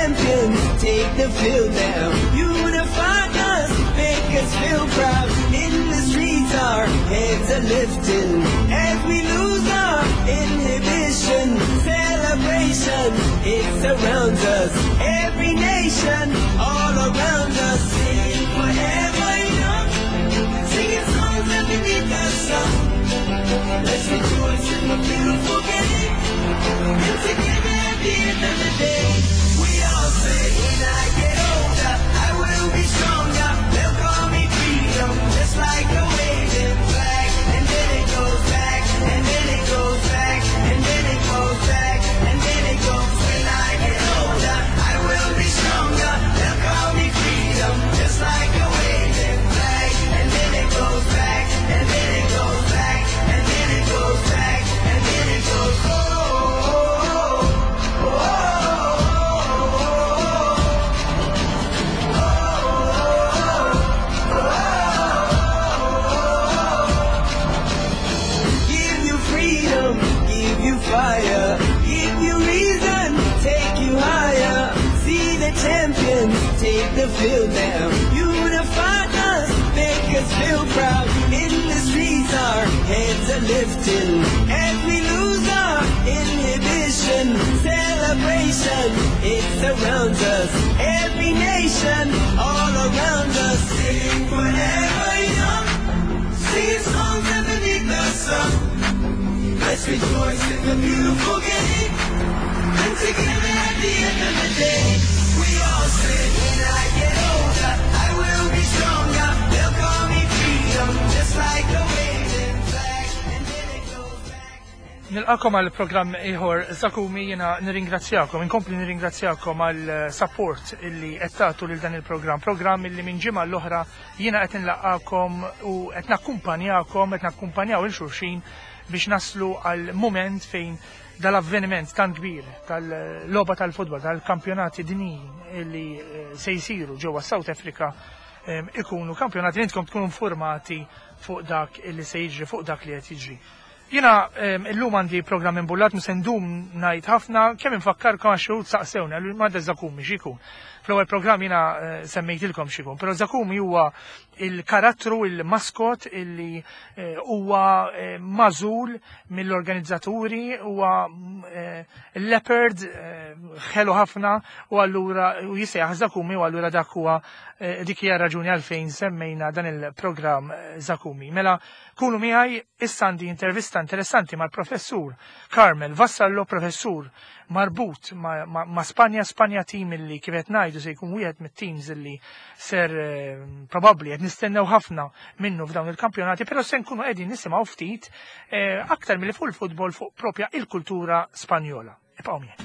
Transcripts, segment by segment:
champions take the field now. Unify us, make us feel proud. In the streets, our heads are lifting as we lose our inhibition. Celebration, it surrounds us. Every nation, all around us, sing forever young. Singing songs underneath the sun. Let's rejoice in the beautiful game. And together at the end of the day, we all say, when I get older, I will be stronger. They'll call me freedom, just like a waving flag. And then it goes back, and then it goes back, and then it goes back, and then it goes. When I get older, I will be stronger. They'll call me freedom, just like a waving flag. And then it goes back, and then it goes back, and then it goes back, and then it goes. Oh, oh, oh, oh, oh. Give you freedom, give you fire, give you reason, take you higher. See the champions take the field now. Unify us, make us feel proud. In the streets, our heads are lifting as we lose our inhibition. Celebration, it surrounds us. Every nation, all around us. Sing forever young. Singing songs underneath the sun. Let's rejoice in the beautiful game. And together at the end of the day, we all say, when I get older, I will be stronger. They'll call me freedom, just like a waving flag. And then it goes back. Nilqagħkom għal programm ieħor Zakumi. Jiena nirringrazzjakom, inkompli nirringrazzjakom għal support illi qed tagħtu lil dan il-programm. Programm illi minn ġimgħa l-oħra jiena qed nlaqqakom u qed nakkumpanjakom, qed nakkumpanjaw lil xulxin biex naslu għal moment fejn dal-avveniment tan kbir tal-logħba tal-futbol, tal-kampjonati dinjin illi se jsiru ġewwa South Africa ikunu kampjonati li intkom tkunu informati fuq dak illi se jiġri, fuq dak li qed jiġri. Jiena illum għandi programm imbullat, mhux se ndum ngħid ħafna, kemm infakkarkom għax xi saqsewna li ma Zakumi x'ikun. Fl-ewwel programm jiena semmejtilkom x'ikun, però Zakumi huwa il-karattru, il-maskot illi huwa magħżul mill-organizzaturi, huwa leopard ħelu ħafna u allura u jisejjaħ Zakumi u allura dak huwa dik hija raġuni għalfejn semmejna dan il-programm Zakumi. Mela kunu miegħi issa għandi intervista interessanti mal-professur Carmel Vassallo, professur marbut ma Spanja, Spanja team illi kif qed ngħidu se jkun wieħed mit-teams illi ser probabbli qed nistennew ħafna minnu f'dawn il-kampjonati, però se nkunu qegħdin nisimgħu ftit aktar milli fuq il-futbol fuq propja il-kultura Spanjola. Ibqgħu miegħi.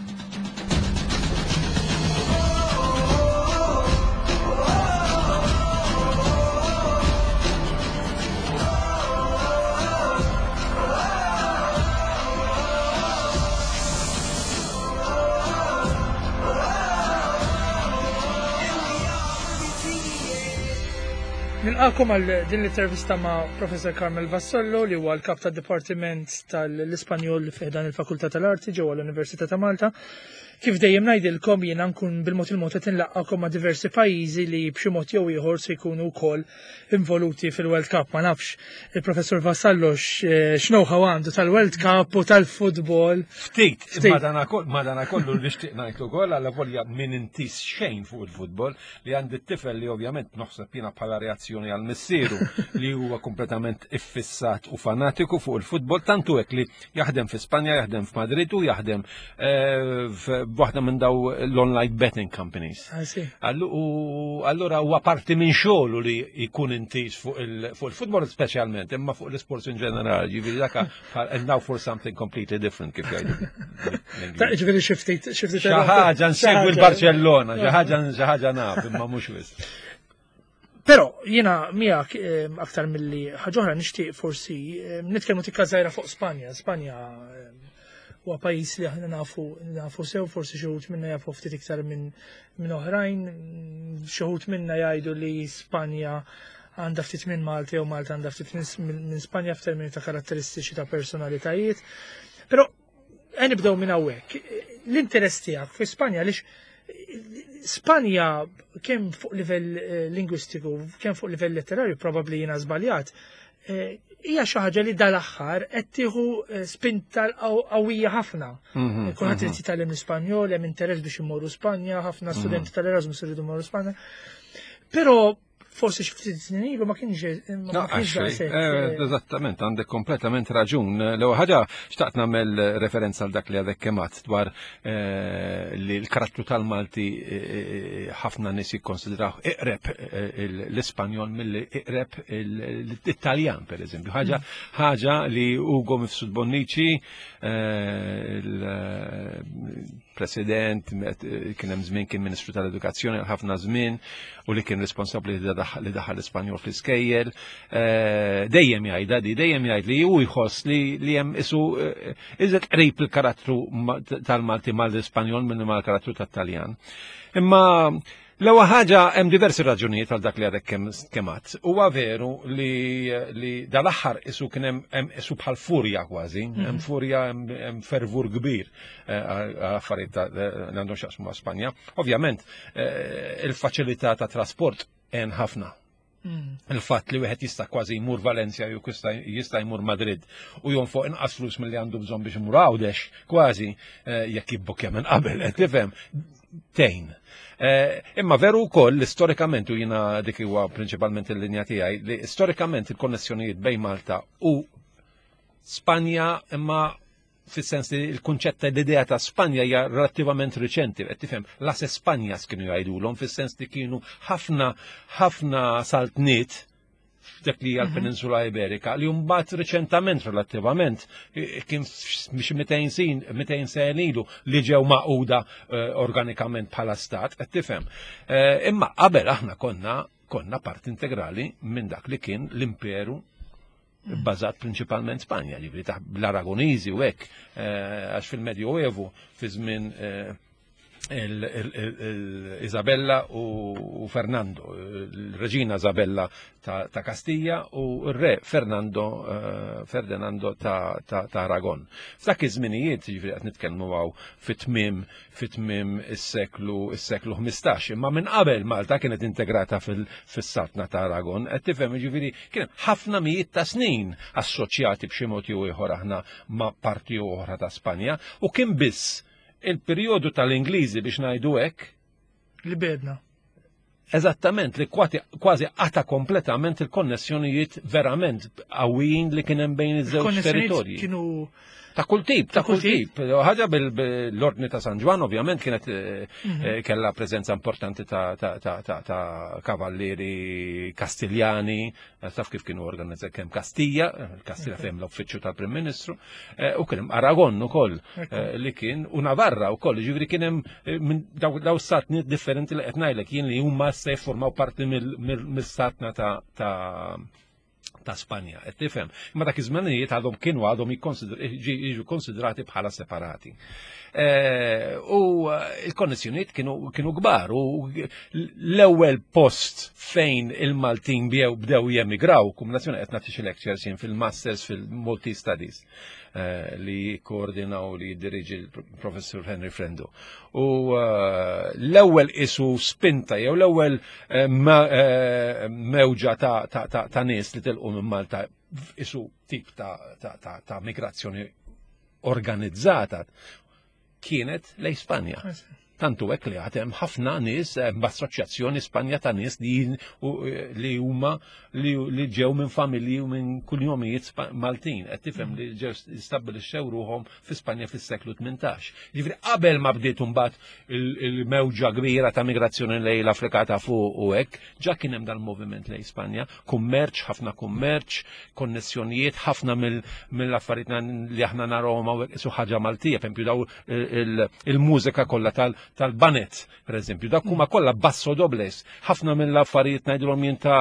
Nilqagħkom għal din l-intervista ma' Professor Carmel Vassallo li huwa l-kap tad-Dipartiment tal-Ispanjol fi dan il-Fakultà tal-Arti ġewwa l-Università ta' Malta. Kif dejjem ngħidilkom jiena nkun bil-mod il-mod qed inlaqqakom ma' diversi pajjiżi li b'xi mod jew ieħor se jkunu wkoll involuti fil-World Cup. Ma nafx il-Professor Vassallo x'know-how għandu tal-World Cup u tal-futbol. Ftit, madana kollu nixtieq ngħid ukoll għal volja min intis xejn fuq il-futbol li għandi t-tifel li ovvjament noħseb jiena bħala reazzjoni għal missieru li huwa kompletament iffissat u fanatiku fuq il-futbol, tantu hekk li jaħdem fi Spanja, jaħdem f'Madrid u jaħdem f'waħda minn daw l-online betting companies. U allura huwa parti minn xogħlu li jkun intis fuq il-futbol speċjalment, imma fuq l-sports in ġenerali, ġifieri dak and now for something completely different kif jgħidu. Ta' ġifieri xi ftit xi ftit Xi ħaġa nsegwi l-Barcellona, xi ħaġa naf, imma mhux wisq. Però jiena miegħek aktar milli ħaġa oħra nixtieq forsi nitkellmu tikka żgħira fuq Spanja. Spanja huwa pajjiż li aħna nafu sew, forsi xi wħud minna jafu ftit iktar minn oħrajn, xi wħud minna jgħidu li Spanja għandha ftit minn Malta jew Malta għandha ftit minn Spanja f'termini ta' karatteristiċi ta' personalitajiet. Però nibdew minn hawnhekk. L-interess tiegħek fi Spanja għaliex. Spanja kemm fuq livell eh, lingwistiku, kemm fuq livell letterarju, probabbli jiena żbaljat, eh, hija xi ħaġa li dal-aħħar qed tieħu eh, spinta qawwija ħafna. Mhm, Kulħadd irid mhm. jitgħallem l-Ispanjol, hemm interess biex imorru Spanja, ħafna mhm. studenti tal-Erasmus iridu jmorru Spanja. Però forsi xi ftit snin ilu ma kienx ma kienx daqshekk. Eh, eh. Eżattament, għandek kompletament raġun. L-ewwel ħaġa xtaqt nagħmel referenza għal dak li għadek kemat dwar eh, li l-karattru tal-Malti ħafna nies jikkonsidraw iqreb l-Ispanjol milli iqreb l-Italjan pereżempju. Ħaġa mm. ħaġa li Ugo Mifsud Bonnici President, kien hemm żmien kien Ministru tal-Edukazzjoni għal ħafna żmien u li kien responsabbli li daħal l-Ispanjol fl-iskejjel. Eh, dejjem jgħidha di, dejjem jgħid li hu jħoss li hemm isu eh, iżed qrib il-karattru tal-Malti mal-Ispanjol minn mal-karattru tat-Taljan. Imma L-ewwel ħaġa hemm diversi raġunijiet għal dak li għadek kemm għadt. Huwa veru li, li dal-aħħar isu kien hemm isu bħal furja kważi, mhm. hemm furja hemm fervur kbir eh, għal affarijiet li għandhom x'jaqsmu ma' Spanja. Ovvjament eh, il-faċilità ta' trasport hemm ħafna. Mm. Il-fatt li wieħed jista' kważi jmur Valencia jew jista' jmur Madrid u jonfoq inqas flus milli għandu bżonn biex imur Għawdex, kważi eh, jekk jibbukja minn qabel, qed tifhem, tgħin. Eh, imma veru wkoll li storikament u jiena dik huwa prinċipalment il-linja tiegħi li storikament il-konnessjonijiet bejn Malta u Spanja imma fis-sens li l-kunċett ta' l-idea ta' Spanja hija relattivament riċenti, qed tifhem, las Espanjas kienu jgħidulhom fis-sens li kienu ħafna ħafna saltniet f'dak li hija mhm. l-Peninsula Iberika li mbagħad riċentament relattivament kien xi 200 sin 200 sen ilu li ġew maquda eh, organikament bħala stat, qed tifhem. Eh, imma qabel aħna konna konna part integrali minn dak li kien l-imperu bbażat prinċipalment Spanja, ġifieri ta' l-Aragoniżi u hekk, eh, għax fil-Medjoevu fi żmien eh, Isabella u Fernando, il-reġina Isabella ta' Kastija u r-re Fernando eh, Ferdinando ta' Aragon. F'dak iż-żminijiet, ġifieri qed nitkellmu għaw fit-tmiem fit-tmiem is-seklu is-seklu 15, imma minn qabel Malta kienet integrata fis-saltna ta' Aragon, qed tifhem jiġifieri kien hemm ħafna mijiet ta' snin assoċjati b'xi mod jew ieħor aħna ma' parti oħra ta' Spanja u kien biss il-perjodu tal-Ingliżi biex ngħidu hekk li bedna. Eżattament, li kważi qata kompletament il-konnessjonijiet verament qawwijin li kien hemm bejn iż-żewġ territorji. Kienu Ta' kull tip, ta' kull tip. Ħaġa bil-ordni ta' San Ġwan, ovvjament, kienet eh, mhm. eh, kella preżenza importanti ta' kavallieri Kastiljani, eh, taf kif kienu organizzat kemm Kastija, Kastija fejn l-uffiċċju tal-Prim Ministru, u kien hemm Aragon ukoll li kien u Navarra wkoll, ġifieri kien hemm minn daw satni differenti li qed ngħidlek jien li huma se jiffurmaw parti mill-satna ta' ta' Spanja, qed tifhem. Imma dak iż-żmenijiet għadhom kienu għadhom jiġu konsidrati bħala separati. Eh, u eh, il-konnessjonijiet kienu kbar u l-ewwel post fejn il-Maltin bdew jemigraw, kombinazzjoni qed nagħti xi lectures jien fil-Masters fil-Maltese Studies. Eh, li koordinaw li jiddirigi l-professur Henry Frendo. U eh, l-ewwel isu spinta jew l-ewwel eh, mewġa ta' nies li tilqu minn Malta isu tip ta' migrazzjoni organizzata kienet lej Spanja. Tantu hekk li għad hemm ħafna nies hemm assoċjazzjoni Spanja ta' nies li li huma li ġew minn familji u minn kunjomijiet Maltin, qed tifhem li ġew stabbilixxew ruħhom fi Spanja fis-seklu 18. Ġifieri qabel ma bdiet imbagħad il-mewġa kbira ta' migrazzjoni lejn l-Afrika ta' fuq u hekk, ġa kien hemm dal-moviment lejn Spanja, kummerċ, ħafna kummerċ, konnessjonijiet, ħafna mill-affarijiet li aħna narawhom hawnhekk isu ħaġa Maltija, pereżempju daw il-mużika kollha tal-banet, per eżempju, dak huma kollha basso dobles, ħafna mill-affarijiet ngħidulhom jien ta'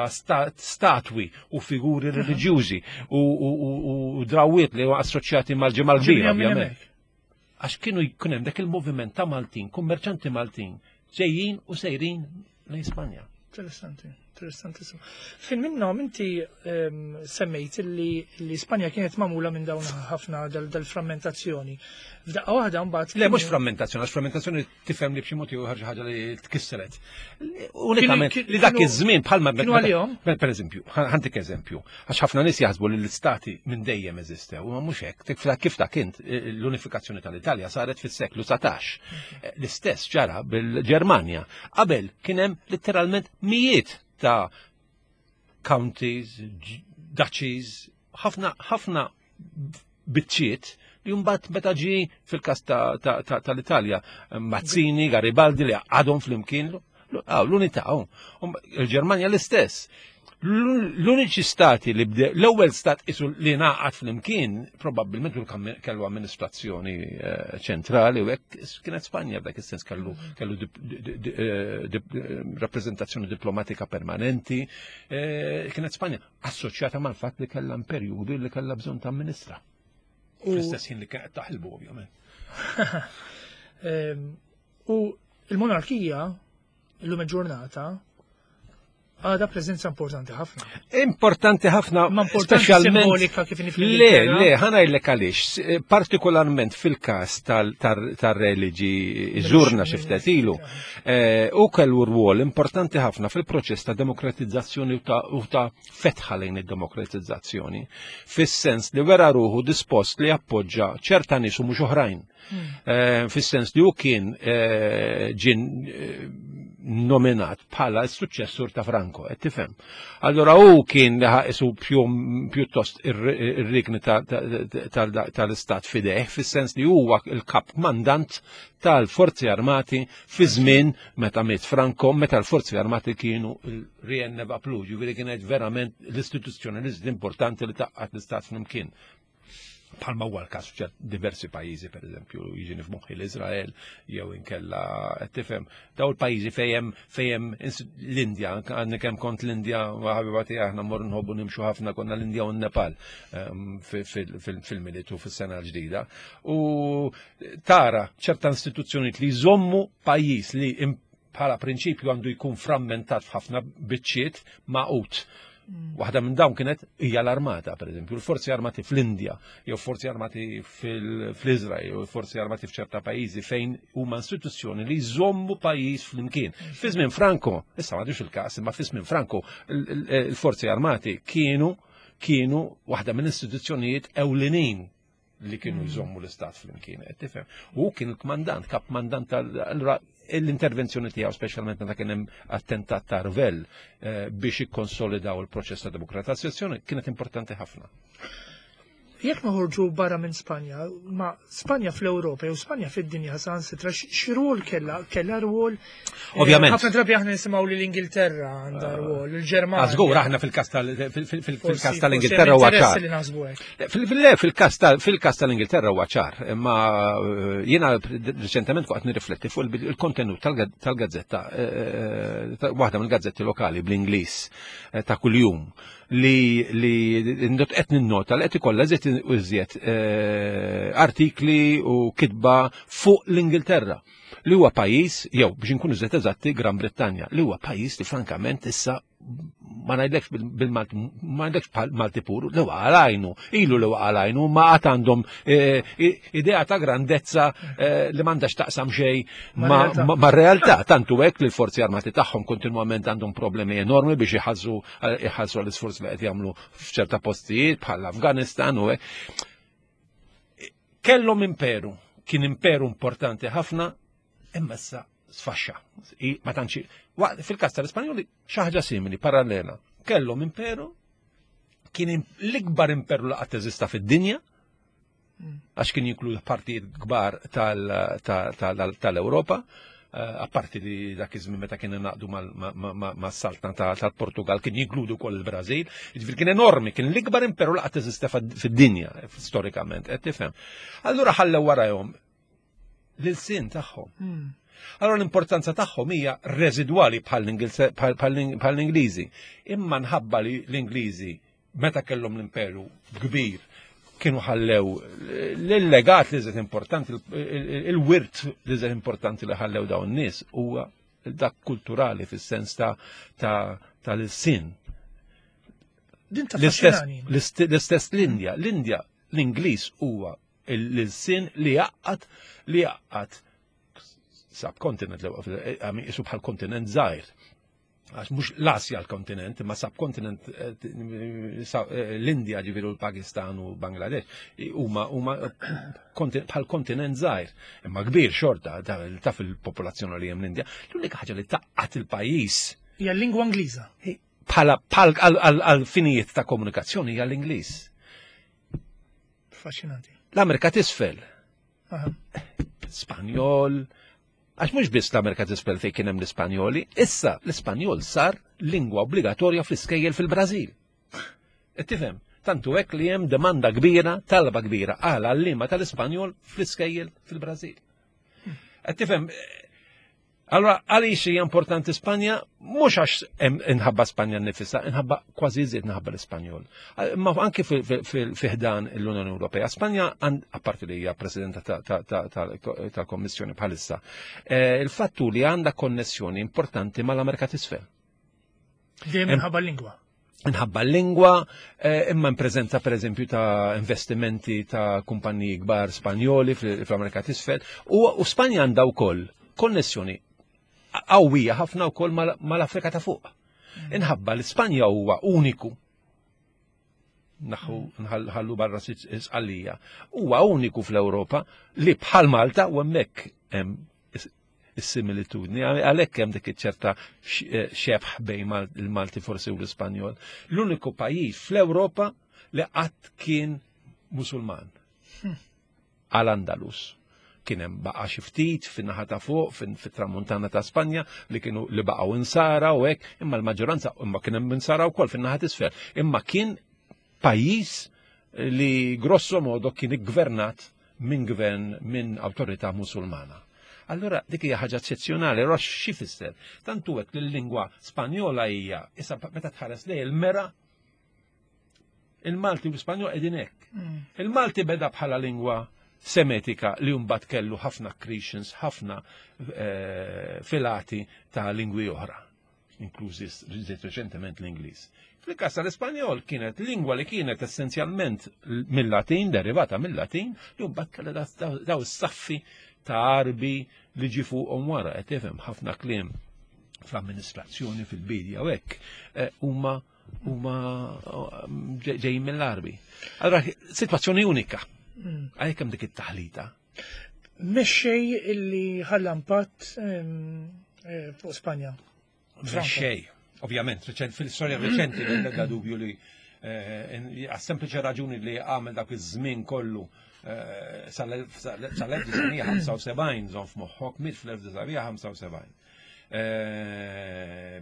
statwi u figuri reliġjużi u drawiet li huma assoċjati mal-ġimgħa l-kbira, ovvjament. Għax kienu jkun hemm dak il-moviment ta' Maltin, kummerċanti Maltin, ġejjin u sejrin lejn Spanja. Interessanti. Interessantissimu. Fin minnhom inti semmejt li li Spanja kienet magħmula minn dawn ħafna dal-frammentazzjoni. F'daqqa waħda mbagħad. Le mhux frammentazzjoni, għax frammentazzjoni tifhem li b'xi mod jew ħaġa ħaġa li tkissret. Unikament li dak iż-żmien bħalma kienu għalihom. Per eżempju, ħantik eżempju, għax ħafna nies jaħsbu li l-istati minn dejjem eżistew, ma mhux hekk. Kif ta' kint l-unifikazzjoni tal-Italja saret fis-seklu 19. L-istess ġara bil-Ġermanja. Qabel kien hemm litteralment mijiet ta' counties, duchies, ħafna ħafna biċċiet li mbagħad meta ġie fil-każ tal-Italja Mazzini, Garibaldi li għadhom flimkien l-unità. Il-Ġermanja l-istess. L-uniċi stati li bde, l-ewwel stat isu li naqat flimkien, probabbilment kellu amministrazzjoni eh, ċentrali u hekk kienet Spanja f'dak is-sens kellu kellu eh, rappreżentazzjoni diplomatika permanenti, eh, kienet Spanja assoċjata mal-fatt li kellha imperju li kellha bżonn ta' amministra. Fl-istess ħin li kienet taħilbu ovvjament. Ehm, u il-monarkija illum il-ġurnata għada preżenza importanti ħafna. Importanti ħafna, Ma importanti simbolika kif nifhem. Le, le, ħana għaliex, eh, partikolarment fil-każ tal-religi ġurna xi ftit ilu, eh, u kellu rwol importanti ħafna fil-proċess ta' demokratizzazzjoni u ta' fetħa lejn id-demokratizzazzjoni, fis-sens li wera ruħu dispost li appoġġa ċerta nies u mhux oħrajn. Eh, fis-sens li hu kien eh, ġin eh, nominat bħala s-suċċessur ta' Franco, qed tifhem. Allora hu kien li ħaqisu pjuttost ir-rikni tal-istat fideh, fis-sens li huwa il-kap mandant tal-forzi armati fi żmien meta miet Franco, meta l-forzi armati kienu il-Rienneva Plu, ġifieri kienet verament l-istituzzjoni importanti li taqqat l-istat flimkien. Bħalma huwa l-każ f'ċert diversi pajjiżi, pereżempju, jiġini f'moħħi l-Iżrael jew inkella qed tifhem daw il-pajjiżi fejn fejn l-Indja, għandni kemm kont l-Indja ħabiba tiegħi aħna mmorru nħobbu nimxu ħafna konna l-Indja u n-Nepal ehm, fil-militu fis-sena l-ġdida. U tara ċerta istituzzjonijiet li jżommu pajjiż li bħala prinċipju għandu jkun frammentat f'ħafna biċċiet maqut. Waħda minn dawn kienet hija l-armata, per eżempju, l-forzi armati fl-Indja, jew forzi armati fl-Iżrael, jew forzi armati f'ċerta pajjiżi fejn huma istituzzjoni li jżommu pajjiż flimkien. Fi żmien Franco, issa m'għadux il-każ, imma fi żmien Franco il-forzi armati kienu kienu waħda minn istituzzjonijiet ewlenin li kienu mm. jżommu l-istat flimkien, qed tifhem. U kien il-kmandant, kap mandant tal l-intervenzjoni tiegħu speċjalment meta kien hemm attentat ta' Rvel eh, biex ikkonsolidaw il-proċess ta' demokratizzazzjoni kienet importanti ħafna. Jekk noħorġu barra minn Spanja, ma Spanja fl-Ewropa jew Spanja fid-dinja sansitra x'rwol kellha kellha rwol eh, Ovvjament. Ħafna drabi aħna nisimgħu li l-Ingilterra għandha eh, rwol, il-Ġermanja. Żgur aħna fil-każ tal-Ingilterra huwa ċar. Fil-każ tal-Ingilterra huwa ċar, imma eh, jiena reċentement waqt nirrifletti fuq il-kontenut tal-gazzetta, waħda mill-gazzetti lokali bl-Ingliż ta' kuljum li li qed ninnota li qed ikollha żied iżjed eh, artikli u kitba fuq l-Ingilterra li huwa pajjiż jew biex inkunu żied eżatti Gran Brittanja li huwa pajjiż li frankament issa ma ngħidlekx bil-Malti ma ngħidlekx Malti puru li waqa' għajnu, ilu li waqa' għajnu, ma għad għandhom eh, idea ta' grandezza eh, li m'għandax taqsam xejn ma' realtà tantu hekk li l-forzi armati tagħhom kontinwament għandhom problemi enormi biex iħallsu iħallsu għall-isforz li qed jagħmlu f'ċerta postijiet bħal Afganistan u hekk. Kellhom imperu, kien imperu importanti ħafna, imma issa sfaxxa. Ma tantx fil-każ tal-Ispanjoli xi ħaġa simili, parallela. Kellhom imperu, kien l-ikbar imperu li qatt eżista fid-dinja, għax kien jinkludi partijiet kbar tal-Ewropa, eh, apparti li dak iż-żmien meta kien naqdu mas-saltna tal-Portugal kien jinkludu wkoll il-Brażil, jiġifieri kien enormi, kien l-ikbar imperu li qatt eżista fid-dinja storikament, qed tifhem. Allura ħallew warahom l-sin tagħhom. Hmm. Allora l-importanza tagħhom hija residwali bħall-Ingliżi. Imma nħabba li l-Ingliżi meta kellhom l-imperu kbir kienu ħallew l-legat li żed importanti, il-wirt li żed importanti li ħallew dawn nies huwa dak kulturali fis-sens ta' ta' tal-sin. Din taffaxxinani. L-istess l-Indja, l-Indja l-Ingliż huwa l-sin li jaqqat li jaqqat subcontinent li isu bħal kontinent żgħir. Għax mhux l-Asja l-kontinent, imma subkontinent eh, eh, l-Indja ġifieri l-Pakistan u Bangladesh huma huma bħal kontinent żgħir, imma kbir xorta taf il-popolazzjoni li hemm l-Indja. L-unika ħaġa li taqqat il-pajjiż hija l-lingwa Ingliża. Bħala għal finijiet ta' komunikazzjoni hija l-Ingliż. Affaxxinanti. L-Amerika t'isfel. Spanjol, għax mhux biss l-Amerika t'isfel fejn kien hemm l-Ispanjoli, issa l-Ispanjol sar lingwa obbligatorja fl-iskejjel fil-Brażil. Qed tifhem? Tantu hekk li hemm demanda kbira, talba kbira għal għalliema tal-Ispanjol fl-iskejjel fil-Brażil. Qed tifhem? Allora, għaliex hija importanti Spanja? Mhux għax inħabba Spanja nnifisha, inħabba kważi iżjed inħabba l-Ispanjol. Imma anki fi ħdan l-Unjoni Ewropea. Spanja, apparti li hija presidenta tal-Kommissjoni bħalissa, eh, il-fattu li għandha konnessjoni importanti mal-Amerika t'isfel. Dejjem inħabba l-lingwa. Nħabba l-lingwa, eh, imma preżenza per eżempju ta' investimenti ta' kumpaniji kbar Spanjoli fl-Amerika t'isfel, u Spanja għandha wkoll konnessjoni qawwija ħafna wkoll mal-Afrika ta' fuq. Inħabba li Spanja huwa uniku naħu nħallu barra sqallija, huwa uniku fl-Ewropa li bħal Malta u hemmhekk hemm is-similitudni, għalhekk hemm dik iċ-ċerta eh, xebħ bejn il-Malti forsi u l-Ispanjol. L-uniku pajjiż fl-Ewropa li qatt kien Musulman. Hmm. Għal Andalus. Kien hemm baqa' xi ftit fin-naħa ta' fuq fit-tramuntana ta' Spanja li kienu li baqgħu insara u hekk, imma l-maġġoranza imma kien hemm insara wkoll fin-naħa t'isfel. Imma kien pajjiż li grosso modo kien iggvernat minn gvern minn awtorità Musulmana. Allura dik hija ħaġa eċċezzjonali, allura xi fisser? Tantu hekk li l-lingwa Spanjola hija issa meta tħares lej il-mera il-Malti u l-Ispanjol qegħdin hekk. Mm. Il-Malti beda bħala lingwa semetika li mbagħad kellu ħafna accretions, ħafna eh, filati ta' lingwi oħra inklużi żied reċentement l-Ingliż. Fil-każ tal-Ispanjol kienet lingwa li kienet essenzjalment mill-Latin, derivata mill-Latin, li mbagħad kellha daw is-saffi ta' Arbi li ġi fuqhom wara qed tifhem ħafna kliem fl-amministrazzjoni fil-bidja u hekk eh, huma huma eh, ġejjin mill-Arbi. Allora sitwazzjoni unika. Mm. Għalhekk hemm dik it-taħlita. Mexxej illi ħalla impatt eh, fuq Spanja. Mexxej, ovvjament, fil-istorja reċenti l-ebda dubju li eh, għas-sempliċi raġuni li għamel dak iż-żmien kollu eh, sal-1975 żon f'moħħok mit fl-1975.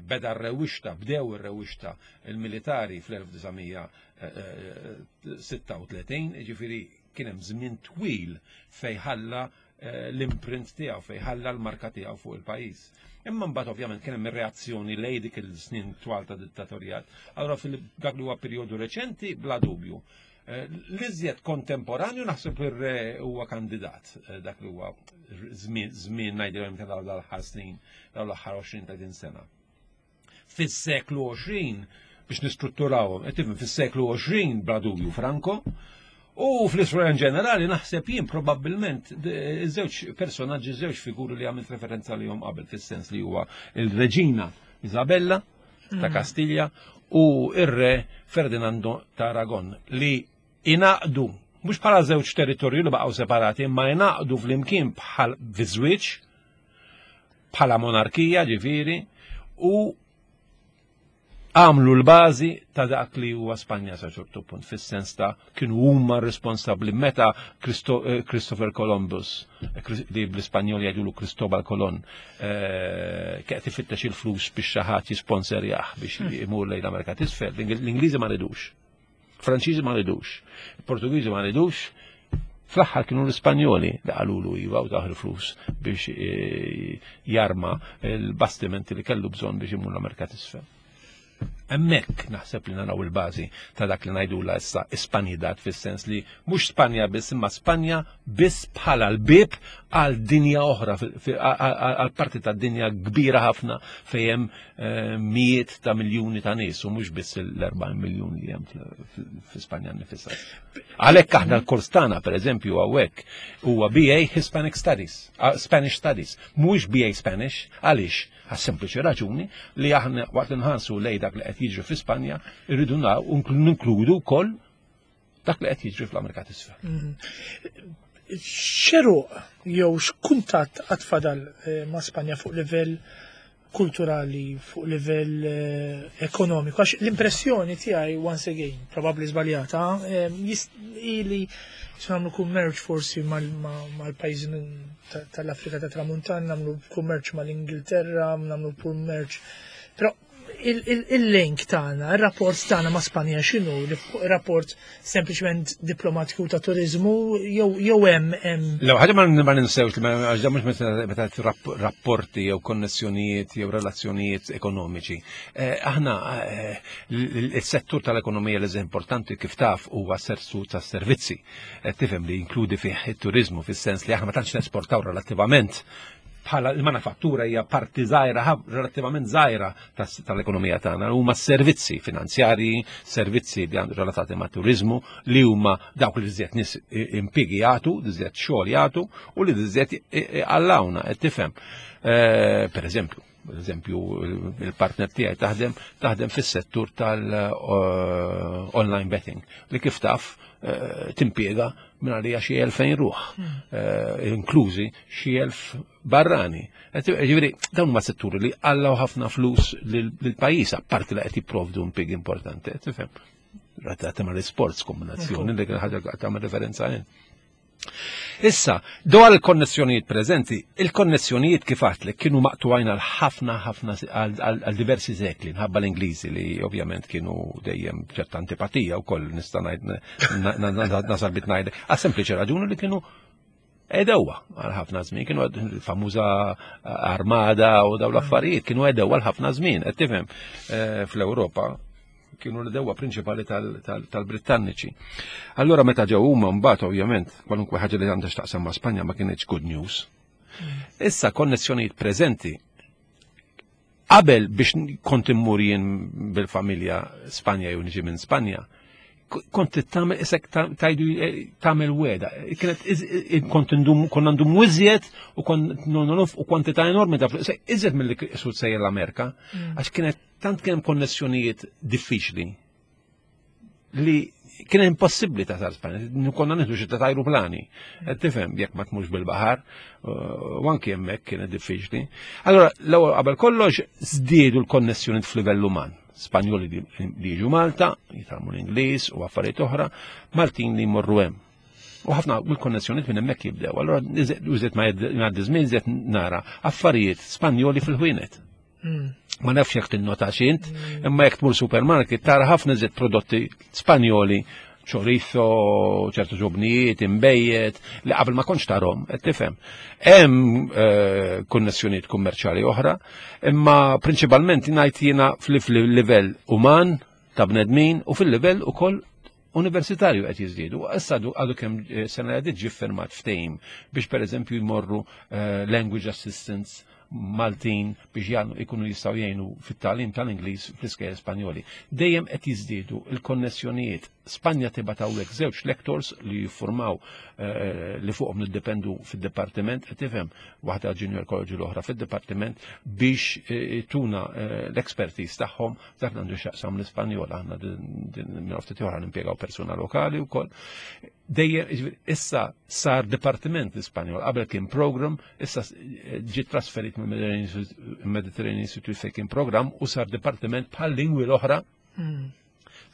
Beda r-rewixta, bdew ir-rewixta il-militari fl-1936, ġifieri Kien hemm żmien twil fejn ħalla eh, l-imprint tiegħu, fejn ħalla l-marka tiegħu fuq il-pajjiż. Imma mbagħad ovvjament kien hemm ir-reazzjoni lej dik il-snin twal ta' dittatorjat. Allora fil-dak li huwa perjodu reċenti bla dubju. Eh, l-iżjed kontemporanju naħseb ir-re huwa kandidat eh, dak li huwa żmien żmien ngħidilhom ta' dawn l-aħħar snin, dawn l-aħħar 20 30 sena. Fis-seklu 20 biex nistrutturawhom, qed tifhem fis-seklu 20 bla dubju Franco, u fl-istorja in ġenerali naħseb jien probabbilment iż-żewġ personaġġi, żewġ figuri li għamilt referenza lihom qabel fis-sens li huwa il-Reġina Isabella ta' mm. Kastilja u ir-Re Ferdinando ta' Aragon li inaqdu mhux bħala żewġ territorju li baqgħu separati, imma inaqdu flimkien bħal viżwiġ bħala monarkija ġifieri u għamlu l-bażi ta' dak li huwa Spanja sa ċertu punt fis-sens ta' kienu huma responsabbli meta eh, Christopher Columbus eh, li bl-Ispanjol jgħidulu Cristobal Colon eh, qed ifittex il-flus biex xi ħadd jisponserjah biex hmm. imur lejn l-Amerika t'isfel. L-Ingliżi ma ridux. Franċiżi ma ridux, Portugiżi ma ridux, fl-aħħar kienu l-Ispanjoli li qalulu iva u taħ il-flus biex e, jarma l-bastimenti li kellu bżonn biex imur l-Amerika t'isfel. Hemmhekk naħseb li naraw il-bażi ta' dak li ngħidula issa Ispanidad fis-sens li mhux Spanja biss imma Spanja biss bħala l-bieb għal dinja oħra għal parti ta' dinja kbira ħafna fejn hemm eh, mijiet ta' miljuni ta' nies u mhux biss l-40 miljun li hemm fi Spanja nifisha. Għalhekk aħna l-kors tagħna pereżempju hawnhekk huwa BA Hispanic Studies, ah, Spanish Studies, mhuwiex BA Spanish, għaliex? Għas-sempliċi raġuni li aħna waqt li nħarsu lej dak li qed jiġri fi Spanja, irridu ninkludu wkoll dak li qed jiġri fl-Amerika t'isfel. Mhm. X'għeruq jew x'kuntatt għad fadal eh, ma' Spanja fuq livell kulturali, fuq livell eh, ekonomiku, għax l-impressjoni tiegħi once again, probabbli żbaljata, eh, ili nagħmlu kummerċ forsi mal-pajjiżi tal-Afrika ta' Tramuntana, nagħmlu kummerċ mal-Ingilterra, nagħmlu kummerċ. Però il-link tagħna, ir-rapport tagħna ma' Spanja x'inhu? Rapport sempliċement diplomatiku ta' turizmu jew hemm hemm. Lew ħaġa ma ninsewx li għax mhux meta rapporti jew konnessjonijiet jew relazzjonijiet ekonomiċi. Eh, aħna eh, il-settur tal-ekonomija li importanti kif taf huwa settur tas-servizzi. Eh, tifhem li jinkludi fih it-turizmu fis-sens li aħna ma tantx nesportaw relattivament bħala il-manifattura hija parti żgħira relattivament żgħira tal-ekonomija tagħna huma servizzi finanzjarji, servizzi li għandu relatati ma' turizmu li huma dawk li żjed nies impjiegi jagħtu, li żjed xogħol jagħtu u li żjed għallawna qed tifhem. Eh, per eżempju, per eżempju il-partner tiegħi taħdem taħdem fis-settur tal-online eh, betting li kif taf eh, timpiega minn għalija xi 2000 ruħ, hmm. inklużi xi elf barrani. Ġifieri dawn huma setturi li għallaw ħafna flus lill-pajjiż apparti li qed jipprovdu impjieg importanti, tifhem. Rata tagħmel l-isports kombinazzjoni li ħaġa tagħmel referenza hemm. Issa, dwar il-konnessjonijiet preżenti, il-konnessjonijiet kif għatlek kienu maqtugħin għal ħafna ħafna għal diversi sekli, nħabba l-Ingliżi li ovvjament kienu dejjem ċerta antipatija wkoll nista' ngħid nasal bit ngħid, għas sempliċi raġuni li kienu edewa għal ħafna żmien, kienu famuża armada u daw l-affarijiet, kienu edewa għal ħafna żmien, qed tifhem eh, fl-Ewropa kienu l-edewa prinċipali tal-Brittanniċi. Allora meta ġew huma mbagħad ovvjament kwalunkwe ħaġa li għandha x'taqsam ma' Spanja ma kienx good news. Issa konnessjonijiet preżenti Qabel biex kont immur jien bil-familja Spanja jew niġi minn Spanja, kont tagħmel isek tajdu eh, tagħmel weda. Kienet kont indum konna ndum iżjed u kont nonf u kwantità enormi ta' flus, iżjed milli sud sejjer l-Amerika, mm. għax kienet tant kien hemm konnessjonijiet diffiċli li kien impossibbli ta' Spanja, konna nieħdu xi ta' ajruplani. Tifhem jekk ma tmux bil-baħar, u anki hemmhekk kienet diffiċli. Allora, l-ewwel qabel kollox żdiedu l-konnessjoni f'livell uman. Spanjoli li jiġu Malta, jitgħallmu l-Ingliż u affarijiet oħra, Maltin li jmorru hemm. U ħafna mill-konnessjoniet minn hemmhekk jibdew. Allora, użiet ma jgħaddi żmien, iżjed nara affarijiet Spanjoli fil-ħwienet. Hmm. Ma nafx jekk tinnota xint, hmm. imma jekk tmur supermarket tara ħafna żied prodotti Spanjoli, chorizo, ċertu ġobnijiet, imbejjed, li qabel ma kontx tarhom, qed tifhem. Hemm eh, konnessjonijiet kummerċjali oħra, imma prinċipalment ngħid jiena fil-livell uman ta' bnedmin u fil-livell ukoll universitarju qed jiżdiedu. Issa għadu kemm eh, sena li għaddiet ġie ffirmat ftehim biex pereżempju jmorru eh, language assistants Maltin biex jgħanu ikunu jistgħu jgħinu fit-tagħlim tal-Ingliż fl-iskejjel Spanjoli. Dejjem qed jiżdiedu il-konnessjonijiet. Spanja tibgħat hawnhekk żewġ lectors li jiffurmaw eh, li fuqhom niddependu fid-dipartiment, qed tifhem waħda Junior College l-oħra fid-dipartiment biex tuna l-expertise tagħhom Dak għandu xaqsam l-Ispanjol, aħna minn ftit oħra nimpjegaw persuna lokali wkoll. Dejjem issa sar dipartiment l-Ispanjol, qabel kien program, issa ġi trasferit mill-Mediterranean Institute fejn kien program u sar dipartiment bħal lingwi l-oħra hmm.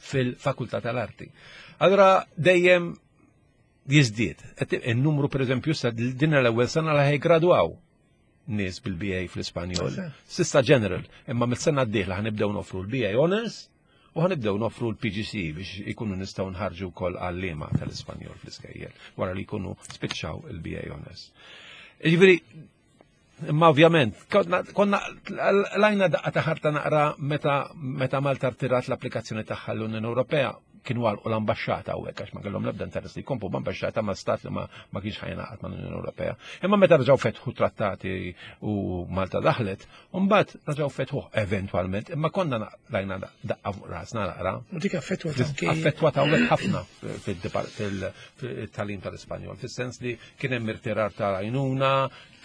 fil-Fakultà tal-Arti. Allora dejjem jiżdied. Il-numru per eżempju sa din l-ewwel sena li ħajgradwaw nies bil-BA fl-Ispanjol. Sissa general, imma mis-sena d-dieħla ħanibdew nofru l-BA Honors u ħanibdew nofru l-PGC biex ikunu nistgħu nħarġu wkoll għalliema tal-Ispanjol fl-iskejjel wara li jkunu spiċċaw il-BA Honors. Jiġifieri Imma ovvjament, konna lajna daqqa ta' ħarta naqra meta meta Malta rtirat l-applikazzjoni tagħha l-Unjoni Ewropea kienu għalqu l-ambasċata hawnhekk għax ma kellhom l-ebda interess li jkompu b'ambasċata ma' stat li ma kienx ħajnaqat mal-Unjoni Ewropea. Imma meta reġgħu fetħu trattati u Malta daħlet, mbagħad reġgħu fetħu eventwalment, imma konna lajna daqqa fuq rasna naqra. U dik affettwat anki. Affettwat hawnhekk ħafna fil-talim tal-Ispanjol, fis-sens li kien hemm irtirar ta' għajnuna,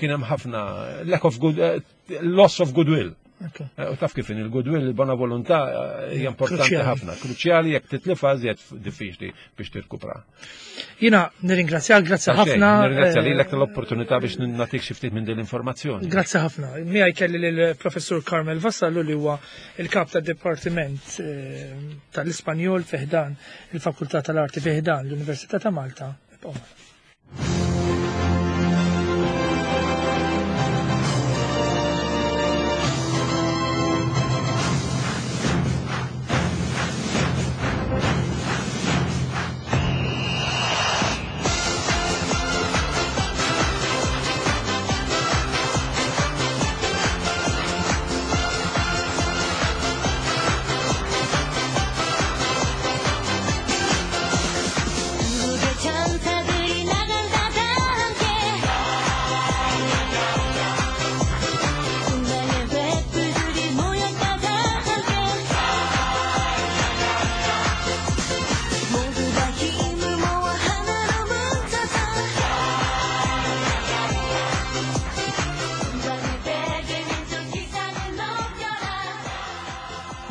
kien hemm ħafna lack of good, eh, loss of goodwill. Eh, u taf kif il-goodwill, il-bona volontà eh, hija importanti ħafna, kruċjali jekk titlifha żjed diffiċli biex tirkupra. Jiena nirringrazzjak, grazzi ħafna. Nirringrazzja lilek tal-opportunità biex nagħtik xi ftit minn din l-informazzjoni. Grazzi ħafna. Miegħi kelli lill-Professur Carmel Vassallo li huwa il-kap tad-Dipartiment tal-Ispanjol fi ħdan il-Fakultà tal-Arti fi ħdan l-Università ta' Malta. Ibqgħu magħna.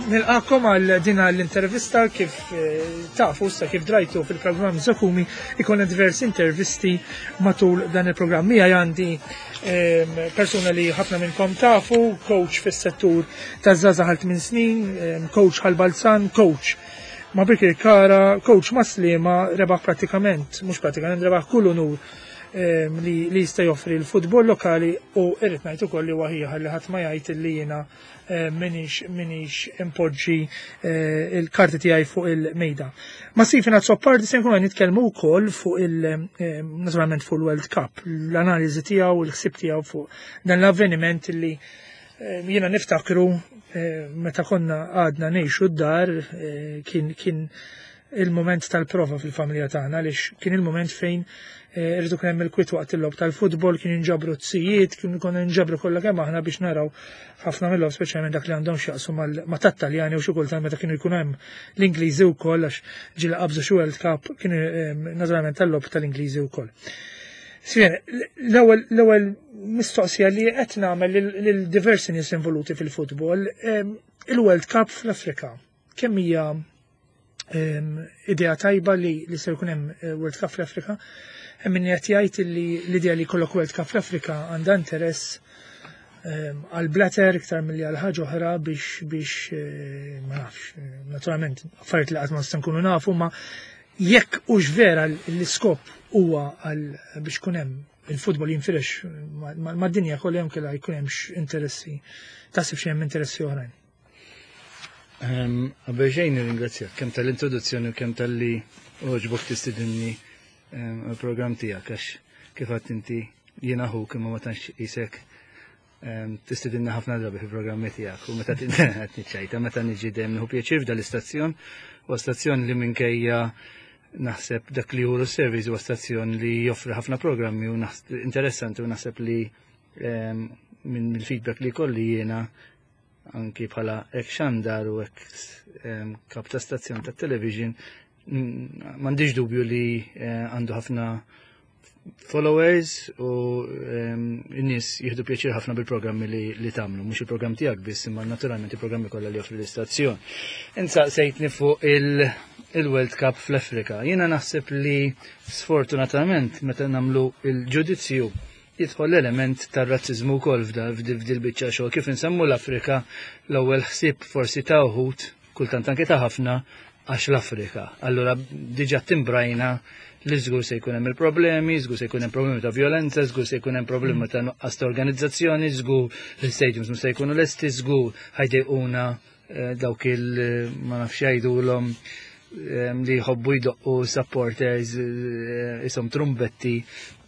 Nilqakom għal din l-intervista kif eh, tafu sa kif drajtu fil-programm Zakumi ikonna diversi intervisti matul dan il-programm. Mija għandi ehm, persuna li ħafna minnkom tafu, coach fis-settur taż-żgħażagħ għal 8 snin, ehm, coach ħal Balzan, coach ma' Birkirkara, coach ma' Sliema, rebaħ pratikament, mhux pratikament, rebaħ kull unur ehm, li jista' joffri l-futbol lokali u irrid ngħid ukoll li huwa ħieħa li ħadd ma jgħid li jiena Eh, minix minix impoġġi eh, il-karti tiegħi fuq il-mejda. Ma Stephen Azzopardi se nkunu nitkellmu wkoll fuq il eh, naturalment fuq il-World Cup, l-analiżi tiegħu, il-ħsieb tiegħu fuq dan l-avveniment li jiena niftakru meta konna għadna ngħixu d-dar kien kien il-moment tal-prova fil-familja tagħna għaliex kien il-moment fejn eh, irridu kien hemm il-kwit waqt il-logħob tal-futbol, kien inġabru t-sijiet, kien konna nġabru kollha kemm aħna biex naraw ħafna mill-logħob speċjalment dak li għandhom x'jaqsu ma' tat-Taljani u xi kultant meta kienu jkun hemm l-Ingliżi wkoll għax ġieli qabżu xi World Cup kienu eh, naturalment tal-logħob tal-Ingliżi wkoll. Sien, l-ewwel mistoqsija li qed nagħmel lil diversi nies involuti fil-futbol, eh, il-World Cup fl-Afrika. Kemm hija idea tajba li li se jkun hemm eh, World Cup fl-Afrika. Hemm min qed jgħid li l-idea li jkollok World Cup fl-Afrika għandha interess għal Blatter iktar milli għal ħaġa oħra biex biex eh, ma nafx, eh, naturalment affarijiet li qatt ma nista' nkunu nafu ma jekk hux vera l-iskop huwa għal biex kun hemm il-futbol jinfirex mad-dinja kollha hemm kellha jkun hemm interessi taħseb xi hemm interessi oħrajn. Qabel xejn nirringrazzjak kemm tal-introduzzjoni u kemm tal-li oġbok tistidinni għal-programm tiegħek għax kif għadt inti jiena ħuk imma ma tantx isek tistidinna ħafna drabi fil-programmi tiegħek u meta qed niċċajta meta niġi dejjem nieħu pjaċir f'dan l-istazzjon u stazzjon li minkejja naħseb dak li juru service huwa stazzjon li joffri ħafna programmi u interessanti u naħseb li minn mill-feedback li kolli jiena anki bħala ek xandar u ek kap ta' stazzjon ta' television m'għandix dubju li eh, għandu ħafna followers u n-nies jieħdu pjaċir ħafna bil-programmi li, li tagħmlu, mhux il-programm tiegħek biss, imma naturalment il-programmi kollha li joffri l-istazzjon. Insaqsejtni fuq il-World Cup fl-Afrika. Jiena naħseb li sfortunatament meta nagħmlu il-ġudizzju jidħol l-element tar-razziżmu wkoll f'dil biċċa xogħol. Kif insemmu l-Afrika, l-ewwel ħsieb forsi ta' wħud, kultant anke ta' ħafna, għax l-Afrika. Allura diġà timbrajna li żgur se jkun hemm il-problemi, żgur se jkun hemm problemi ta' violenza, żgur se jkun hemm problemi ta' nuqqas ta' organizzazzjoni, żgur l-stadiums mhux se jkunu lesti, żgur ħajdejquna eh, dawk il ma nafx jgħidulhom eh, li jħobbu jdoqqu supporters eh, isom trumbetti.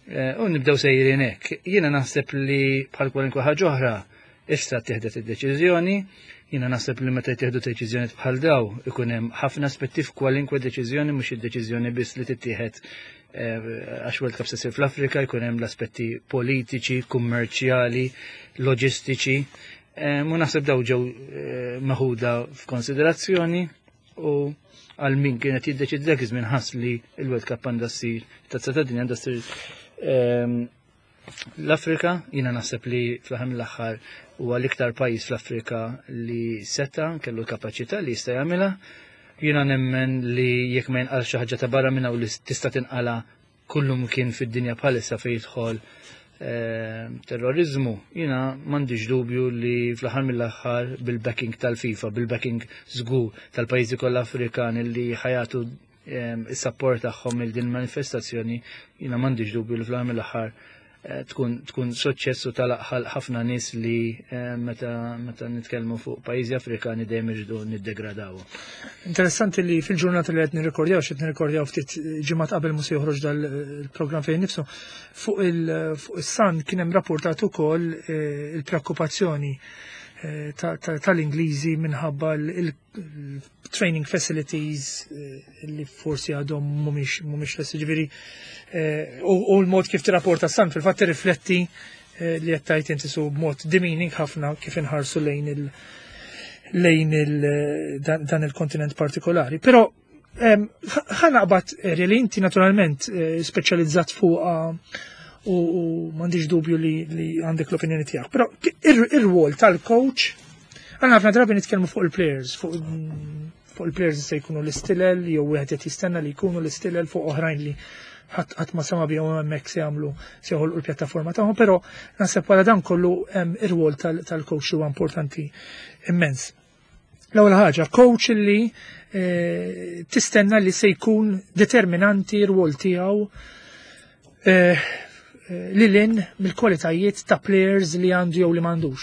U nibdew sejrin hekk. Jiena naħseb li bħal kwalunkwe ħaġa oħra issa tieħdet id-deċiżjoni, jiena naħseb li meta jittieħdu deċiżjoni bħal daw ikun hemm ħafna aspetti f'kwalinkwe deċiżjoni, mhux id-deċiżjoni biss li tittieħed għax World Cup se ssir fl-Afrika, jkun hemm l-aspetti politiċi, kummerċjali, loġistiċi. Mu naħseb daw ġew meħuda f'konsiderazzjoni u għal min kienet jiddeċidi dak iż-żmien ħass li l-World Cup għandha ssir, tazza tad-dinja għandha ssir l-Afrika. Jiena naħseb li fl-aħħar mill-aħħar huwa l-iktar pajjiż fl-Afrika li seta kellu l-kapaċità li jista' jagħmilha. Jiena nemmen li jekk ma jinqal xi ħaġa ta' barra minn hawn li tista' tinqala kullum kien fid-dinja bħalissa fejn jidħol terrorizmu, jiena m'għandix dubju li fl-aħħar mill-aħħar bil-backing tal-FIFA, bil-backing żgur tal-pajjiżi kollha Afrikani li ħajatu is-support tagħhom il din manifestazzjoni, jiena m'għandix dubju li fl-aħħar mill-aħħar tkun suċċess u talaq ħafna nies li meta nitkellmu fuq pajjiżi Afrikani dejjem irridu niddegradaw. Interessanti li fil-ġurnata li qed nirrekordjaw, x'qed nirrekordjaw ftit ġimgħat qabel mu se joħroġ dal-programm fejn nifsu, fuq is-Sun kien hemm rapportat ukoll il-preokkupazzjoni tal-Ingliżi minħabba il-training facilities li forsi għadhom mhumiex lesti, ġifieri u l-mod kif tirrapporta Sun fil-fatt tirrifletti li qed tgħid inti su b'mod demeaning ħafna kif inħarsu lejn il lejn il dan il-kontinent partikolari. Però ħa naqbad li inti naturalment speċjalizzat fuq u m'għandix dubju li għandek l-opinjoni tiegħek. Però ir-rwol tal-coach, għandna ħafna drabi nitkellmu fuq il-players, fuq il-players se jkunu l-istilel, jew wieħed qed jistenna li jkunu l-istilel, fuq oħrajn li ħadd ma sema bihom hemmhekk se jagħmlu, se joħolqu l-pjattaforma tagħhom, però naħseb wara dan kollu hemm ir-rwol tal-coach huwa importanti immens. L-ewwel ħaġa, coach li tistenna li se jkun determinanti r-rwol tiegħu li lin mill-kwalitajiet ta' players li għandu jew li m'għandux.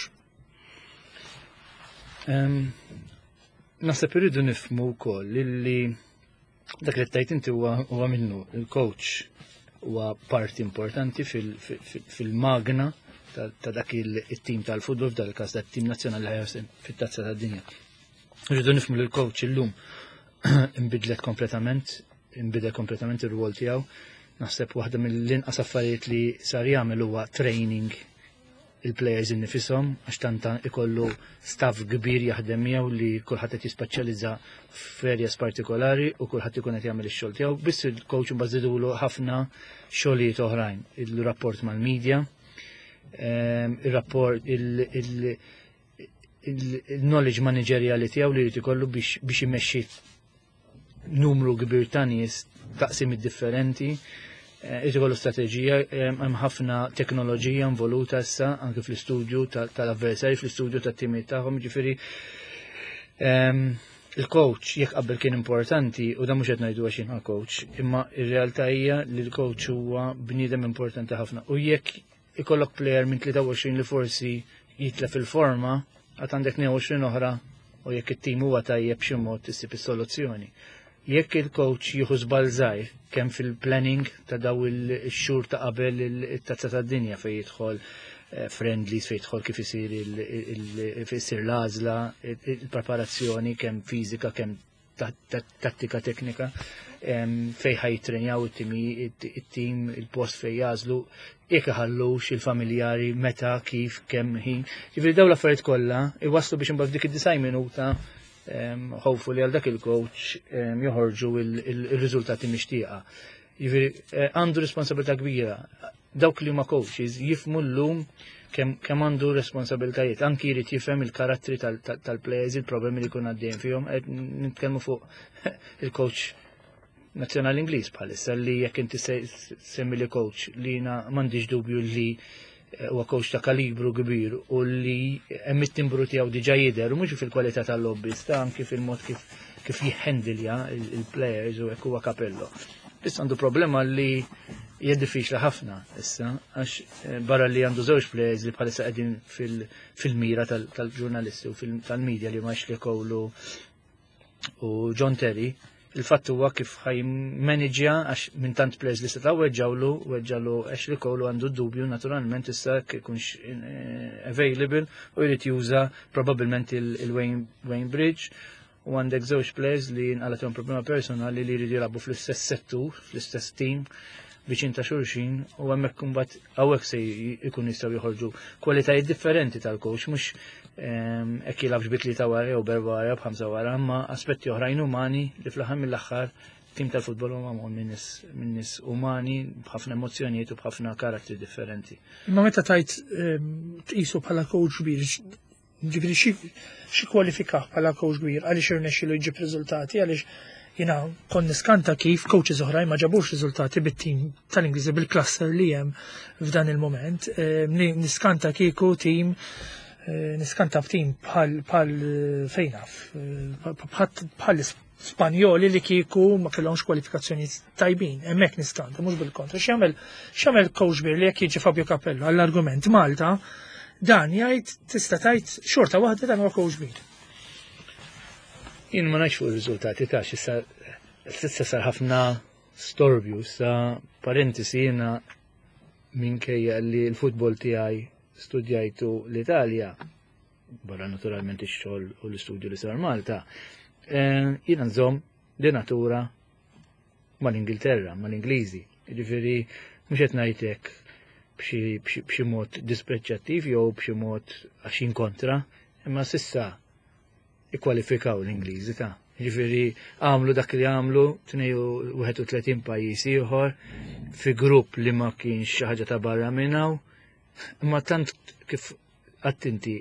Naħseb irridu nifhmu wkoll li dak li tajt inti huwa minnu, il-coach huwa parti importanti fil-magna ta' dak il-tim tal-futbol, f'dak il-każ tat-tim nazzjonali li ħajja fit-tazza tad-dinja. Irridu nifhmu li l-coach illum imbidlet kompletament, imbidel kompletament ir-rwol tiegħu. Naħseb waħda mill-inqas affarijiet li sar jagħmel huwa training il-players innifisom, għax tanta ikollu staff kbir jaħdem miegħu li kulħadd qed jispeċjalizza f'areas partikolari u kulħadd ikun qed jagħmel ix-xogħol tiegħu. Biss il-coach imbagħad żidulu ħafna xogħlijiet oħrajn, il-rapport mal-media, il-rapport, il-knowledge manageriali tiegħu li jrid ikollu biex imexxi numru kbir ta' nies, taqsimiet differenti, irid ikollu strateġija, hemm ħafna teknoloġija involuta issa anke fl-istudju tal-avversari, fl-istudju tat-timijiet tagħhom, ġifieri il-coach jekk qabel kien importanti, u dan mhux qed ngħidu għax jiena coach, imma ir-realtà hija li l-coach huwa bniedem importanti ħafna. U jekk ikollok player minn 23 li forsi jitlef il-forma, għad għandek 22 oħra, u jekk it-tim huwa tajjeb b'xi mod issib is-soluzzjoni. Jekk il-coach jieħu żball żgħir kemm fil-planning ta' daw il-xhur ta' qabel it-tazza tad-dinja fejn jidħol friendlies, fejn jidħol kif isir isir l-għażla, il-preparazzjoni kemm fiżika kemm tattika teknika, fejn ħajtrenjaw it-tim, il-post fejn jażlu, jekk iħallux il-familjari, meta, kif, kemm ħin. Ġifieri dawn l-affarijiet kollha iwasslu biex imbagħad f'dik id-90 minuta hopefully għal dak il-coach joħorġu il-riżultati mixtieqa. Ġifieri għandu responsabilità kbira. Dawk li huma coaches jifhmu llum kemm għandu responsabilitajiet, anki jrid jifhem il-karattri tal-players, il-problemi li jkun għaddejjin fihom. Qed nitkellmu fuq il-coach nazzjonali Ingliż bħalissa li jekk inti semmi li coach li jiena m'għandix dubju li huwa coach ta' kalibru kbir u li hemm it-timbru tiegħu diġà jidher, u mhux fil-kwalità tal-lobbies, ta' anki fil-mod kif jihhandilja il-players u hekk huwa Capello. Biss għandu problema li hija diffiċli ħafna issa, għax barra li għandu żewġ players li bħalissa qegħdin fil-mira tal-ġurnalisti u tal-media li ma Ashley Cole u John Terry, Il-fatt huwa kif ħa jimmaniġġja, għax minn tant players li setgħu weġġawlu, weġġalu Ashley Cole u għandu dubju naturalment issa kikunx available u jrid juża probabbilment il-Wayne Bridge, u għandek żewġ players li nqalathom problema personali li jridu jilagħbu fl-istess settur, fl-istess team, viċin ta' xulxin, u hemmhekk imbagħad hawnhekk se jkun jistgħu joħorġu kwalitajiet differenti tal-coach, mhux hekk jilgħabx bi tlieta wara jew b'erba' wara, b'ħamsa wara, imma aspetti oħrajn umani li fl-aħħar mill-aħħar tim tal-futbol huwa magħmul minn nies umani b'ħafna emozzjonijiet u b'ħafna karattri differenti. Imma meta tajt tqisu bħala coach kbir, ġifieri xi kwalifikah bħala coach kbir, għaliex irnexxielu jġib riżultati, għaliex jiena kont niskanta kif coaches oħrajn ma ġabux riżultati bit-tim tal-Ingliżi bil-cluster li hemm f'dan il-moment. Niskanta kieku tim, niskanta b'tim bħal fejnaf, bħal Spanjoli li kieku ma kellhomx kwalifikazzjoni tajbin, hemmhekk niskanta, mhux bil-kontra. X'jagħmel coach kbir li jekk jiġi Fabio Capello għall-argument Malta, dan jgħid tista' tgħid xorta waħda dan huwa coach kbir. Jien ma ngħidx fuq ir-riżultati ta' issa s'issa sar ħafna storbju, sa parentesi jiena minkejja li l-futbol tiegħi studjajtu l-Italja, barra naturalment ix-xogħol u l-istudju li sar Malta, jiena nżomm di natura mal-Ingilterra, mal-Ingliżi. Jiġifieri mhux qed ngħidlek b'xi mod dispreċjattiv jew b'xi mod għax inkontra, imma s'issa ikkwalifikaw l-Ingliżi ta'. Jiġifieri għamlu dak li għamlu 32 pajjiż ieħor fi grupp li ma kienx xi ħaġa ta' barra minn hawn, imma tant kif attenti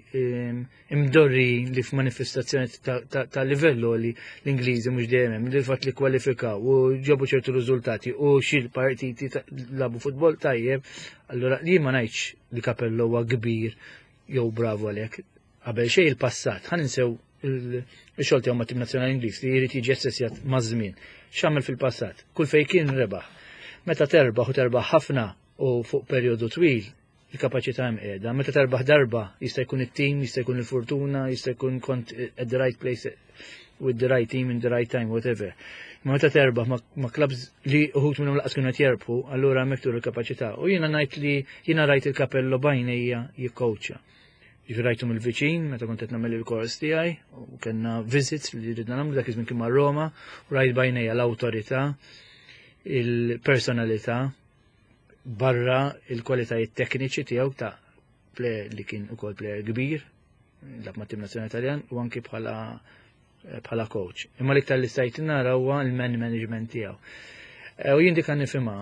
imdorri li f'manifestazzjoni ta' livello li l-Ingliżi mhux dejjem hemm, il-fatt li kwalifikaw u ġabu ċertu riżultati u xi partiti labu futbol tajjeb, allura li ma ngħidx li Capello huwa kbir jew bravo għalhekk. Qabel xejn il-passat, ħa ninsew il-xogħol tiegħu mat-tim nazzjonali Ingliż li jrid jiġi assessjat maż-żmien. X'għamel fil-passat? Kull fejn kien rebaħ. Meta terbaħ u terbaħ ħafna u fuq perjodu twil, il-kapaċità hemm qiegħda. Meta terbaħ darba jista' jkun it-tim, jista' jkun il-fortuna, jista' jkun kont at the right place with the right team in the right time, whatever. Ma meta terbaħ ma' clubs li uħut minnhom laqas kienu qed jerbħu, allura hemmhekk turu l-kapaċità. U jiena ngħid li jiena rajt il-Capello b'għajnejja jikkowċja. Ġifieri rajtu mill-viċin meta kont qed nagħmel il-kors tiegħi u kellna visits li ridna nagħmlu dak iż-żmien kien ma' Roma, u rajt b'għajnejja l-awtorità, il-personalità, barra il-kwalitajiet tekniċi tiegħu ta' player li kien ukoll player kbir, lab ma' tim nazzjonali Taljan u anki bħala coach. Imma l-iktar li stajt nara huwa l-man management tiegħu. U jien dik nifhimha,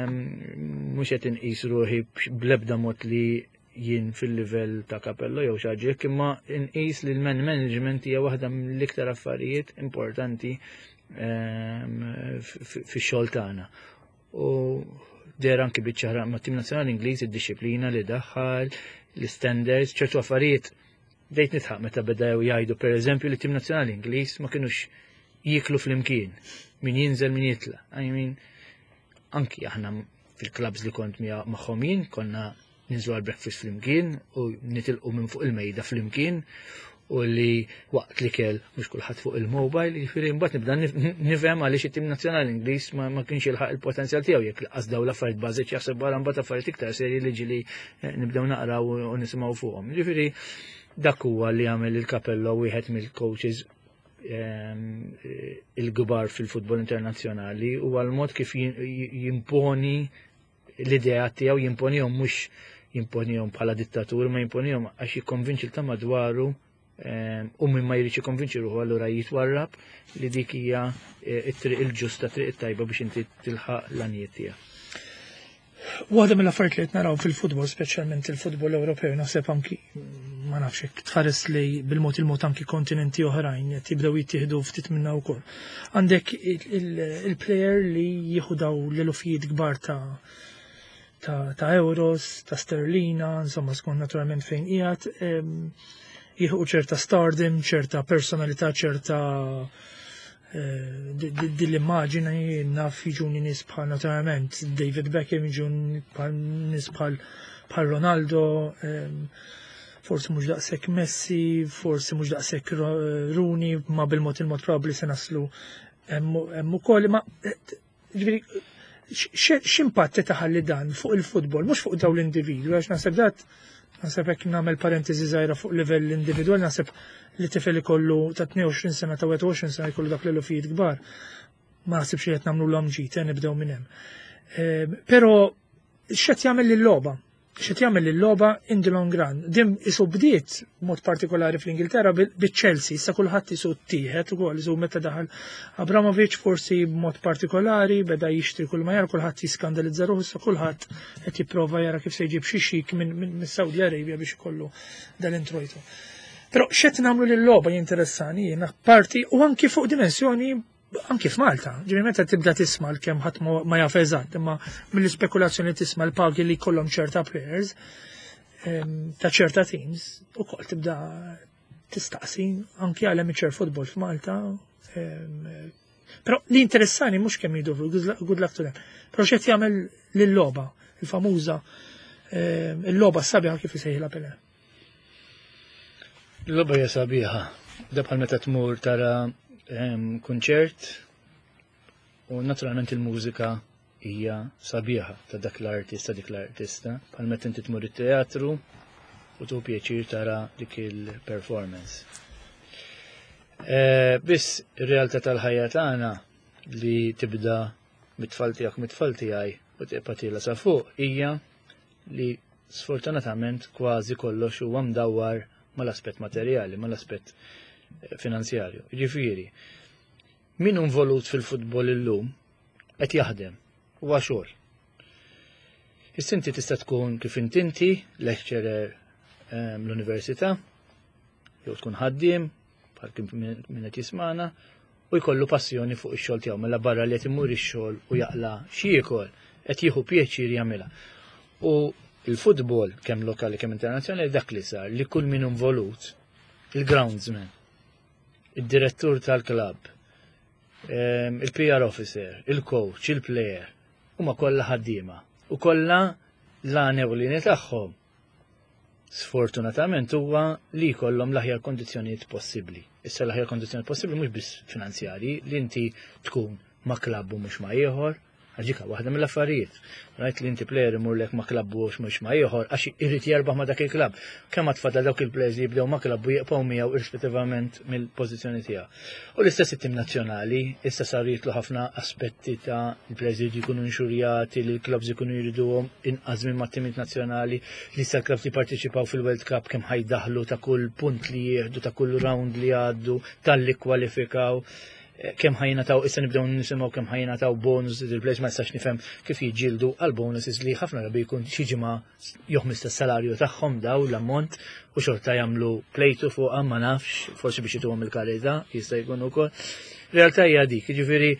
mhux qed inqis ruħi bl-ebda mod li jien fil-livell ta' Capello jew xi ħaġa, imma inqis li l-man management hija waħda mill-iktar affarijiet importanti fix-xogħol tagħna. U der anki biċ-ċara ma' tim nazzjonali Ingliż id-disciplina li daħħal, l-standards, ċertu affarijiet bdejt nitħaq meta bdew jgħidu per eżempju li tim nazzjonali Ingliż ma kinux jiklu flimkien, min jinżel min jitla. I mean, anki aħna fil-clubs li kont magħhom jien konna ninżlu għal breakfast flimkien u nitilqu minn fuq il-mejda flimkien u li waqt li kell mhux kulħadd fuq il-mobile, jiġifieri mbagħad nibda nifhem għaliex it-tim nazzjonali Ingliż ma kienx jilħaq il-potenzjal tiegħu jekk laqas dawn l-affarijiet bażiċi jaħseb wara mbagħad affarijiet iktar serji li ġieli nibdew naqraw u nisimgħu fuqhom. Jiġifieri dak huwa li għamel il-Capello wieħed mill-coaches il-kbar fil-futbol internazzjonali u għal-mod kif jimponi l-idea tiegħu, jimponihom mhux jimponihom bħala dittatur, ma jimponihom għax jikkonvinċi ta' madwaru u minn ma jridx jikkonvinċi ruħu allura jitwarrab li dik hija it-triq il-ġusta, triq it-tajba biex inti tilħaq l-għanijiet tiegħek. Waħda mill-affarijiet li qed naraw fil-futbol, speċjalment il-futbol Ewropew, naħseb anki ma nafx hekk tħares li bil-mod il-mod anki kontinenti oħrajn qed jibdew jittieħdu ftit minna wkoll. Għandek il-player li jieħu daw l-elufijiet kbar ta' euros, ta' sterlina, insomma skont naturalment fejn qiegħed, jieħu ċerta stardom, ċerta personalità, ċerta din l-immaġini, naf jiġuni nies bħal naturalment David Beckham, jiġuni bħal nies bħal Ronaldo, forsi mhux daqshekk Messi, forsi mhux daqshekk Rooney, ma bil-mod il-mod probabbli se naslu. Hemm ukoll ma ġifieri x'impatt taħalli dan fuq il-futbol, mhux fuq dawn l-individwi, għax naħseb dat naħseb hekk nagħmel parentesi żgħira fuq livell individwali, naħseb li tifel ikollu ta' 22 sena ta' 21 sena jkollu dak l-elufijiet kbar. Ma naħsibx li qed nagħmlu l ġid, eh, nibdew minn hemm. Però x'qed jagħmel lil-logħba? X'qed jagħmel lil-logħba in the long run? Din isu bdiet mod partikolari fl-Ingilterra biċ-Chelsea, issa kulħadd isu ttieħed ukoll isu meta daħal Abramovic forsi b'mod partikolari beda jixtri kull ma jara kulħadd jiskandalizza ruħu issa kulħadd qed jipprova jara kif se jġib xi xik minn Saudi Arabia biex ikollu dal-introjtu. Però x'qed nagħmlu lil-logħba jinteressani jiena parti u anki fuq dimensjoni anki f'Malta, ġifieri meta tibda tisma' l-kemm ħadd ma jaf eżatt, imma mill-ispekulazzjoni tisma' l-pagi li jkollhom ċerta players ta' ċerta teams, ukoll tibda tistaqsi anki għal amateur football f'Malta. Però li interessani mhux kemm jidu good luck to them. Però x'qed jagħmel lil-logħba, il-famuża il-logħba sabiħa kif isejħilha Pele. Il-logħba hija sabiħa. Da bħal meta tmur tara kunċert u naturalment il-mużika hija sabiħa ta' dak l-artist ta' dik l-artista. Bħal meta inti tmur it-teatru u tu pjaċir tara dik il-performance. Biss ir-realtà tal-ħajja tagħna li tibda mit-tfal tiegħek mit-tfal tiegħi u tibqa' tiela sa fuq hija li sfortunatament kważi kollox huwa mdawwar mal-aspett materjali, mal-aspett finanzjarju. Ġifieri, min hu involut fil-futbol illum qed jaħdem, huwa xogħol. Issa inti tista' tkun kif inti lecturer l-università, jew tkun ħaddiem, bħal kif min qed jismana, u jkollu passjoni fuq ix-xogħol tiegħu mela barra li qed imur ix-xogħol u jaqla xi jiekol qed jieħu pjaċir jagħmilha. U il-futbol kemm lokali kemm internazzjonali dak li sar li kull min involut, il-groundsman, id-direttur tal-klabb, il-PR officer, il-coach, il-player, huma kollha ħaddiema u kollha l-għan ewlieni tagħhom sfortunatament huwa li jkollhom l-aħjar kondizzjonijiet possibbli. Issa l-aħjar kondizzjonijiet possibbli mhux biss finanzjarji, li inti tkun ma' klabb u mhux ma' ieħor, għax waħda mill-affarijiet. Rajt li inti player imurlek ma' klabb u mhux ma' ieħor għax irid jerbaħ ma' dak il-klabb. Kemm tfadal dawk il-players li jibdew ma' klabb u jibqgħu miegħu irrispettivament mill-pożizzjoni tiegħu. U l-istess it-tim nazzjonali, issa saru jitlu ħafna aspetti ta' il-players li jkunu inxurjati, li l-clubs ikunu jriduhom inqas minn mat-timijiet nazzjonali, li issa l-clubs jipparteċipaw fil-World Cup kemm ħa jdaħħlu ta' kull punt li jieħdu, ta' kull round li għaddu, tal-li kwalifikaw kemm ħa jingħataw, issa nibdew nisimgħu kemm ħa jingħataw bonus il-players, ma nistax nifhem kif jiġġieldu għal bonuses li ħafna drabi jkun xi ġimgħa jew tas-salarju tagħhom daw l-ammont u xorta jagħmlu plejtu fuqha, ma nafx, forsi biex jituhom il-karità, jista' jkun ukoll. Realtà hija dik, jiġifieri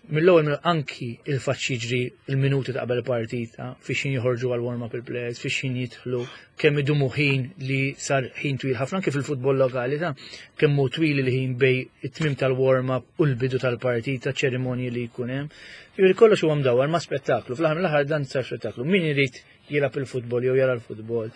mill-ewwel mill anki il-fatt jiġri il-minuti ta' qabel partita, fiex ħin joħorġu għal warm-up il-players, fiex ħin jidħlu, kemm idumu ħin li sar ħin twil ħafna kif il-futbol lokali ta' kemm hu twil il-ħin bejn it-tmim tal-warm-up u l-bidu tal-partita, ċerimonji li jkun hemm. Jiġifieri kollox huwa mdawwar ma' spettaklu, fl-aħħar mill-aħħar dan sar spettaklu. Min irid jilgħab il-futbol jew jara l-futbol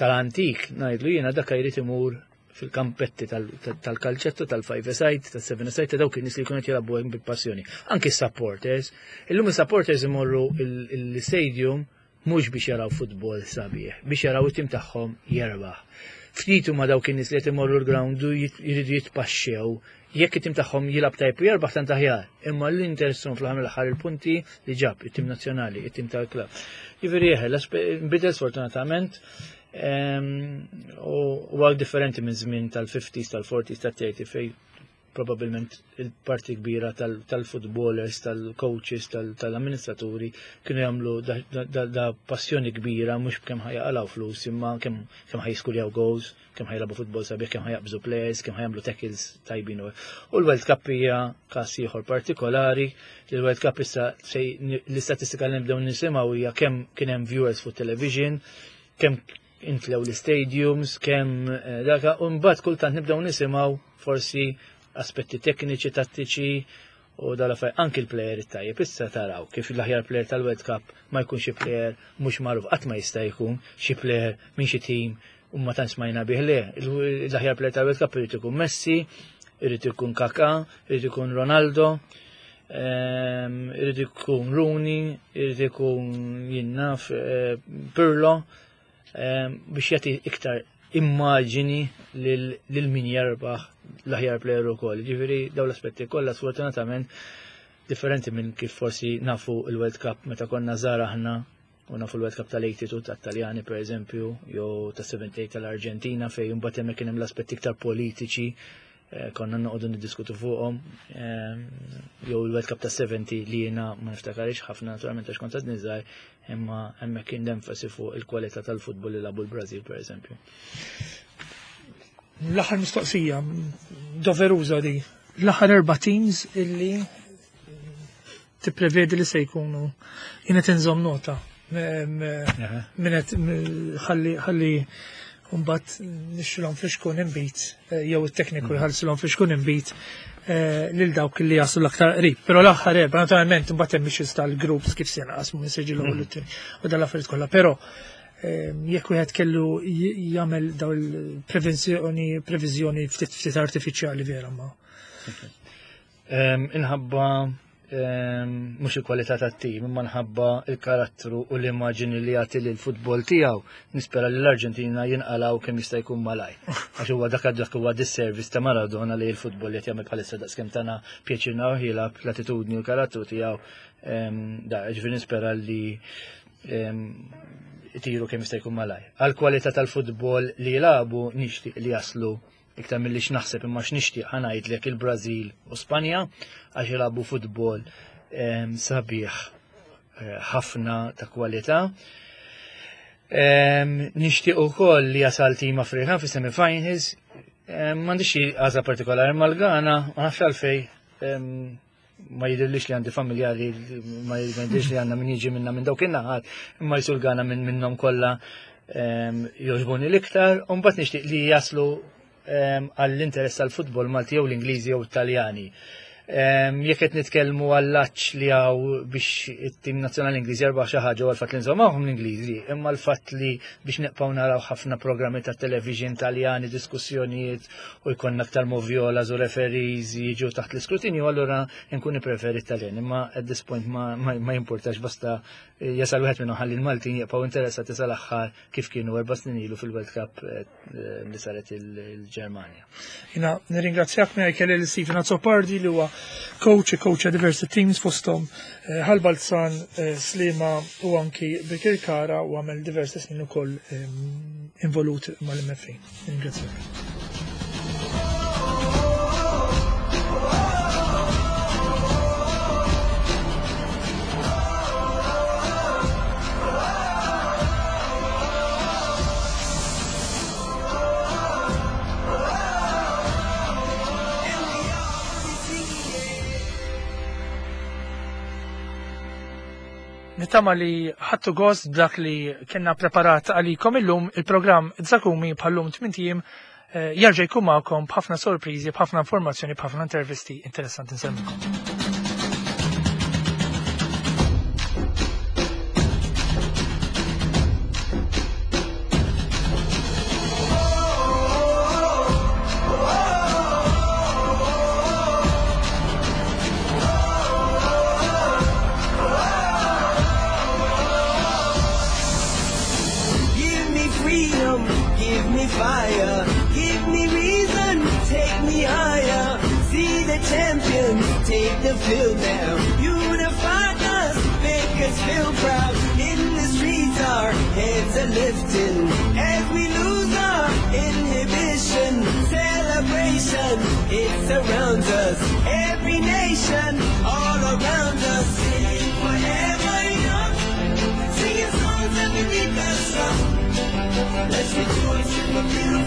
tal-antik, ngħidlu jiena dak jrid imur fil-kampetti tal-kalċetto, tal-five side, tal-seven side, ta' dawk in-nies li jkunu qed jilagħbu hemm bil-passjoni. Anki s-supporters, illum is-supporters imorru l-stadium mhux biex jaraw futbol sabiħ, biex jaraw it-tim tagħhom jerbaħ. Ftit huma dawk in-nies li qed imorru l-ground u jridu jitpaxxew jekk it-tim tagħhom jilgħab tajb u jerbaħ tant aħjar, imma l-interessun fl-aħħar mill-aħħar il-punti li ġab it-tim nazzjonali, it-tim tal-klabb. Jiġifieri eħe, nbidel sfortunatament u għal differenti minn żmien tal-50s, tal-40s, tal-30 fej probabilment il-parti kbira tal-footballers, tal-coaches, tal-amministraturi kienu jagħmlu da passjoni kbira mhux kemm ħa jaqilgħu flus imma kemm ħa jiskurjaw goals, kemm ħa jilagħbu futbol sabiħ, kemm ħa jaqbżu players, kemm ħa jagħmlu tackles tajbin. U l-World Cup hija każ ieħor partikolari, li l-World Cup issa l-istatistika li nibdew nisimgħu hija kemm kien hemm viewers fuq television, kemm intlew l-stadiums, kemm daka, u mbagħad kultant nibdew nisimgħu forsi aspetti tekniċi, tattiċi u dal-affarijiet anki l-player it-tajjeb. Issa taraw kif l-aħjar player tal-World Cup ma jkun xi player mhux magħruf, qatt ma jista' jkun xi player minn xi team u ma tantx smajna bih, le. L-aħjar player tal-World Cup irid ikun Messi, Irid ikun Kaká, irid ikun Ronaldo, irid ikun Rooney, irid ikun jien naf Pirlo, biex jagħti iktar immaġini lil min jerbaħ l-aħjar player ukoll. Ġifieri dawn l-aspetti kollha sfortunatament differenti minn kif forsi nafu il-World Cup meta konna żgħar aħna u nafu l-World Cup tal-82 tat-Taljani per eżempju, jew tas-78 tal-Arġentina fejn imbagħad hemmhekk kien hemm l-aspetti iktar politiċi konna noqogħdu niddiskutu fuqhom, jew il-World Cup tas-70 li jiena ma niftakarix ħafna naturalment għax kont għadni żgħar, imma hemmhekk kien l-enfasi fuq il-kwalità tal-futbol li lagħbu l-Brażil per eżempju. L-aħħar mistoqsija, doveruża di, l-aħħar 4 teams illi tipprevedi li se jkunu jiena tinżomm nota. Minnet ħalli mbagħad nixxilhom fix-xkun inbit, jew it-tekniku jħallsilhom fix-xkun inbit lil dawk li jaslu l-aktar qrib. Però l-aħħar 4, naturalment imbagħad hemm issues tal-groups kif se jinqasmu minn se jiġi l-ewwel u t-tieni u dal-affarijiet kollha. Però jekk wieħed kellu jagħmel daw il-prevenzjoni, previżjoni ftit ftit artifiċjali vera ma. Inħabba mhux il-kwalità tat-tim, imma nħabba il-karattru u l-immaġini li jagħti lil futbol tiegħu. Nispera li l-Arġentina jinqalgħu kemm jista' jkun malaj. Għax huwa dak dak huwa disservice ta' Maradona li l-futbol li qed jagħmel bħalissa daqskemm tagħna pjaċir naraw jilgħab l-attitudni u l-karattru tiegħu. Da, ġifieri nispera li itiru kemm jista' jkun malaj. Għall-kwalità tal-futbol li jilagħbu nixtieq li jaslu iktar milli x'naħseb imma x'nixtieq ħa ngħidlek il-Brażil u Spanja għax jilagħbu futbol sabiħ ħafna ta' kwalità. Nixtieq ukoll li jasal tim Afrikan fi semifinals. M'għandix xi għażla partikolari mal-Ghana, ma nafx għalfej, ma jidhirlix li għandi familjari, ma jidhirlix li għandna min jiġi minna minn dawk in-naħat, imma jisu l-Ghana minnhom kollha jogħġbuni l-iktar, u mbagħad nixtieq li jaslu għall-interess tal-futbol Malti jew l-Ingliżi jew Taljani. Jekk qed nitkellmu għall-għatx li hawn biex it-tim nazzjonali Ingliż jerbaħ xi ħaġa u għall-fatt li nżomm magħhom l-Ingliżi, imma l-fatt li biex nibqgħu naraw ħafna programmi ta' television Taljani, diskussjonijiet u jkollna aktar moviolas u referees jiġu taħt l-iskrutinju, allura nkun nippreferi Taljan, imma at this point ma jimpurtax basta jasal wieħed minnhom ħalli l-Maltin jibqgħu interessati sal-aħħar kif kienu 4 snin ilu fil-World Cup li saret il-Ġermanja. Jina nirringrazzjak minn kelli lil Stephen Azzopardi li huwa coach, coach diversi teams fosthom Ħal Balzan, Sliema u anki Birkirkara u għamel diversi snin ukoll involut mal-MFA. Nirringrazzjak. Nittama li ħadtu gost b'dak li kienna preparat għalikom illum. Il-programm Zakumi bħallum 8 ijiem jerġa' jkun magħkom b'ħafna sorpriżi, b'ħafna informazzjoni, b'ħafna intervisti interessanti. Nsellmilkom. Fire, give me reason, take me higher. See the champions take the field now. Unify us, make us feel proud. In the streets our heads are lifting as we lose our inhibition. Celebration, it surrounds us. Every nation, all around us. Singing forever young, singing songs underneath the sun. Let's rejoice in the beautiful.